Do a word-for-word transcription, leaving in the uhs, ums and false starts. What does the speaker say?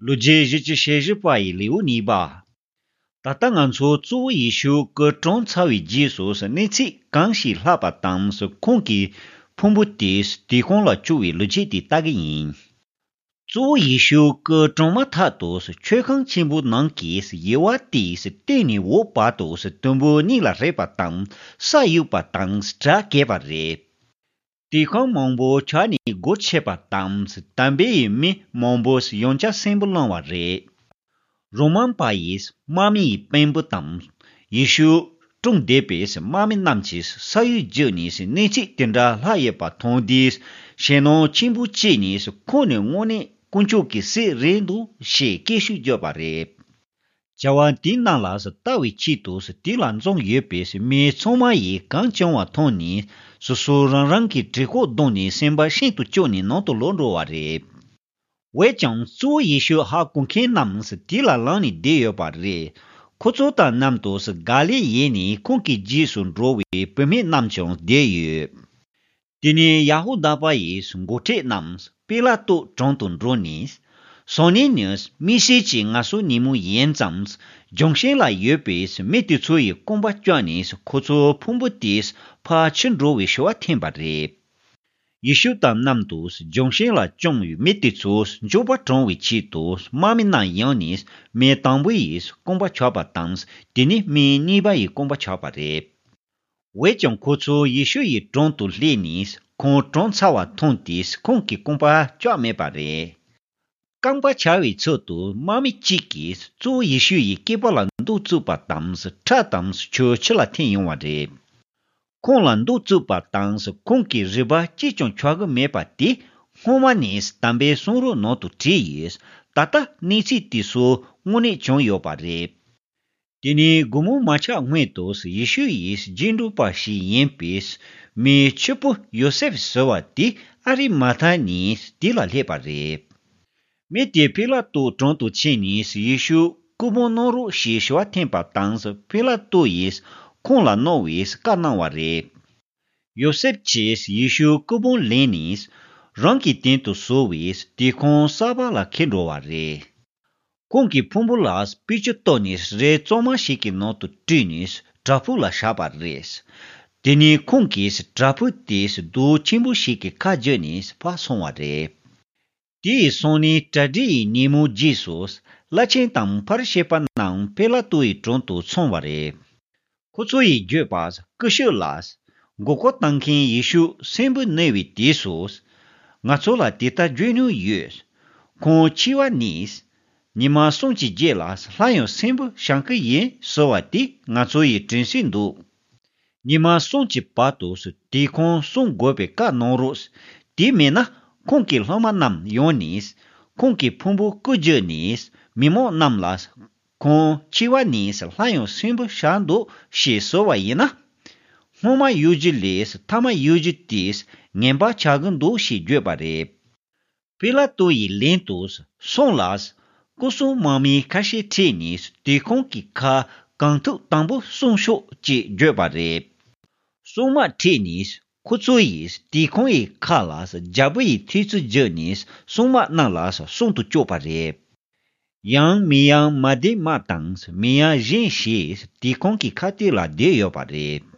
ལོ་རྒྱུས་བཞི་བཅུ་ཞེ་བཞི་པ་ཡི་ལེའུ་གཉིས་པ། ད་ལྟ་ང་ཚོ་གཙོ་བོ་ཡེ་ཤུ་སྐུ་གྲོངས་ཚར་བའི་རྗེས་སུ་གནས་ཚུལ་གང་ཞིག་ལྷག་པ་དང་ཁོང་གི་ཕུང་པོ་དེ་དུད་ཁང་ལ་བཅུག་པའི་ལོ་རྒྱུས་དེ་ལྟ་གི་ཡིན། གཙོ་བོ་ཡེ་ཤུ་སྐུ་གྲོངས་མ་ཐག་ཏུ་མཆོད་ཁང་ཆེན་པོ་ནང་གི་དབྱེ་བ་དེའི་སྟེང་ནས་འོག་བར་དུ་དུམ་བུ་གཉིས་ལ་བརྒྱབ་པ་དང་ས་གཡུགས་པ་དང་གྲ་བཀལ་བ་རེད། དུད་ཁང་མང་པོ་ཆགས་ནས་སྒོ་ཕྱེ་བ་དང་དམ་པའི་མི་མང་པོ་ཡང་བསྐྱར་གསོན་པོར་བསླངས་པ་རེད། རོ་མ་པ་ཡིས་དམག་མི་ཡི་དཔོན་པོ་དང་ཡེ་ཤུ་གྲོངས་བསྡད་པའི་དམག་མི་རྣམས་ཀྱིས་ས་གཡོགས་བརྒྱབ་ནས་གནས་ཚུལ་དེ་འདྲ་ལྷག་ཡོད་པ་མཐོང་དུས་ཞེད་སྣང་ཆེན་པོ་སྐྱེས་ནས་ཁོང་ནི་དངོས་གནས་དཀོན་མཆོག་གི་སྲས་རེད་འདུག་ཞེས་སྐད་ཤུགས་བརྒྱབ་པ་རེད། བྱ་བ་དེའི་ནང་ལ་ལྟ་བའི་ཆེད་དུ་དེ་ལ་འཛོམས་ཡོད་པའི་མི་ཚང་མ་ཡིས་གང་བྱུང་བ་མཐོང་ནས་སོ་སོ་རང་རང་གི་གྲི་ཁོག་བརྡུངས་ནས་སེམས་པ་ཤིན་ཏུ་སྐྱོ་ནས་ནང་དུ་ལོག་འགྲོ་བ་རེད། འོན་ཀྱང་གཙོ་བོ་ཡེ་ཤུ་ཧ་གོ་མཁན་རྣམས་དེ་ལ་ལངས་ནས་བསྡད་ཡོད་པ་རེད། ཁོ་ཚོ་དང་མཉམ་དུ་ག་ལིལ་ཡུལ་ནས་ཁོང་གི་རྗེས་སུ་འགྲོ་བའི་བུད་མེད་རྣམས་ཀྱང་བསྡད་ཡོད། དེ་ནས་ཡ་ཧུ་དཱ་པ་ཡི་འགོ་ཁྲིད་རྣམས་པི་ལ་ཏུ་དྲུང་དུ་འགྲོ་ནས། སང་ཉིན་ནི་དམིགས་བསལ་གྱི་ངལ་གསོའི་ཉིན་མོ་ཡིན་ཙང་། ལྗོན་ཤིང་ལ་ཡོད་པའི་མི་དེ་ཚོ་ཡི་རྐང་པ་བཅག་ནས་ཁོ་ཚོའི་ཕུང་པོ་དེ་ཕར་ཁྱེར་འགྲོ་བའི་ཞུ་བ་འཐེན་པ་རེད། ཡེ་ཤུ་དང་མཉམ་དུ་ལྗོན་ཤིང་ལ་བཅོམ་བའི་མི་དེ་ཚོ་མགྱོགས་པར་གྲོངས་པའི་ཆེད་དུ་དམག་མི་རྣམས་ཡོང་ནས་མི་དང་པོ་ཡི་རྐང་པ་བཅག་པ་དང་། དེ་ནས་མི་གཉིས་པ་ཡི་རྐང་པ་བཅག་པ་རེད། འོན་ཀྱང་ཁོ་ཚོ་ཡེ་ཤུ་ཡི་དྲུང་དུ་སླེབས་ནས་ཁོང་གྲོངས་ཚར་བ་མཐོང་དུས་ཁོང་གི་རྐང་པ་བཅག་མེད་པ་རེད། རྐང་པ་བཅག་པའི་ཚུལ་དུ་དམག་མི་གཅིག་གིས་གཙོ་བོ་ཡེ་ཤུ་ཡི་སྐེད་པ་ལ་མདུང་བཙུགས་པ་དང་ཁྲག་དང་ཆུ་ཕྱི་ལ་འཐེན་ཡོང་བ་རེད། ཁོང་ལ་མདུང་བཙུགས་པ་དང་ཁོང་གི་རུས་པ་གཅིག་ཀྱང་ཆག་གི་མེད་པ་དེ་སྔོན་མ་ནས་དམ་པའི་གསུང་རབ་ནང་དུ་བྲིས་ཡོད། ད་ལྟ་གནས་ཚུལ་དེ་ཚོ་དངོས་གནས་བྱུང་ཡོད་པ་རེད། དེ་ནས་དགོང་མོ་མ་ཆགས་སྔོན་དུ་ཡེ་ཤུ་ཡི་རྗེས་འགྲོ་པ་ཞིག་ཡིན་པའི་མིའི་ཕྱུག་པོ་ཡོ་སེབ་ཟེར་བ་དེ་ཨ་རི་མ་ཐ་ནས་དེ་ལ་སླེབས་པ་རེད། མི་དེས་པི་ལ་ཏུ་དྲུང་དུ་ཕྱིན་ནས་ཡེ་ཤུ་སྐུ་ཕུང་གནང་རོགས་ཞེས་ཞུ་བ་འཐེན་པ་དང་པི་ལ་ཏུ་ཡིས་ཁོང་ལ་གནང་བའི་བཀའ་གནང་བ་རེད། ཡོ་སེབ་ཀྱིས་ཡེ་ཤུ་སྐུ་ཕུང་ལེན་ནས་རང་གི་སྟེང་དུ་བཟོ་བའི་དུད་ཁང་གསར་པ་ལ་ཁྱེར་འགྲོ་བ་རེད། ཁོང་གི་ཕུང་པོ་ལ་སྤོས་ཆུ་གཏོར་ནས་རས་གཙང་མ་ཞིག་གི་ནང་དུ་བཀྲུས་ནས་བྲག་ཕུག་ལ་བཞག་པ་རེད། དེ་ནས་ཁོང་གིས་བྲག་ཕུག་དེ་རྡོ་ཆེན་པོ་ཞིག་གི་ཁ་བརྒྱུད་ནས་ཕར་སོང་བ་རེད། དེ་ཡི་སང་ཉིན་གྲ་སྒྲིག་ཡི་ཉིན་མོ་རྗེས་སུ་བླ་ཆེན་དང་ཕ་རི་ཤི་པ་རྣམས་པི་ལ་ཏུ་ཡི་དྲུང་དུ་འཚོགས་པ་རེད། ཁོ་ཚོ་ཡིས་བརྗོད་པ། སྐུ་ཞབས་ལགས། མགོ་སྐོར་བཏང་མཁན་ཡེ་ཤུ་གསོན་པོར་གནས་པའི་དུས་སུ། ང་ཚོ་ལ་དེ་ལྟར་བརྗོད་མྱོང་ཡོད། ཁོང་འཆི་བ་ནས། ཉི་མ་གསུམ་གྱི་རྗེས་ལ་སླར་ཡང་གསོན་པོར་བཞེངས་ཀྱི་ཡིན་ཟེར་བ་དེ་ང་ཚོ་ཡིས་དྲན་གསོས་འདུག་ཉི་མ་གསུམ་གྱི་བར་དུ་དུད་ཁང་བསྲུང་དགོས་པའི་བཀའ་གནང་རོགས། དེ་མིན་ན་ཁོང་གི་སློབ་མ་རྣམས་ཡོང་ནས། ཁོང་གི་ཕུང་པོ་བརྐུ་རྒྱུ་ནས་མི་མང་རྣམས་ལ། ཁོང་འཆི་བ་ནས་སླར་ཡང་གསོན་པོར་བཞེངས་འདུག་ཞེས་ཟེར་བ་ཡིན་ན། སྔོན་མ་ཡོད་རྒྱུ་ལས་མཐའ་མ་ཡོད་རྒྱུ་དེས་ངན་པ་ཆགས་ཀྱི་འདུག་ཞེས་བརྗོད་པ་རེད། པི་ལ་ཏུ་ཡིས་ལན་དུ། སོང་ལ། སྐུ་སྲུང་དམག་མི་ཁ་ཤས་ཁྲིད་ནས་དུད་ཁང་གི་ཁ་གང་ཐུབ་དམ་པོ་སྲུང་ཤོག་ཅེས་བརྗོད་པ་རེད། སྲུང་དམག་ཁྲིད་ནས་ཁོ་ཚོ་ཡིས་དུད་ཁང་ཡི་ཁ་ལ་རྒྱལ་པོ་ཡི་ཐེལ་ཙེ་བརྒྱབ་ནས་སྲུང་དམག་རྣམས་ལ་སྲུང་དུ་བཅུག་པ་རེད། ཡང་མི་ཡང་མ་དེ་མ་དང་མི་ཡང་གཞན་ཞིག་དུད་ཁང་གི་ཁ་གཏད་ལ་བསྡད་ཡོད་པ་རེད།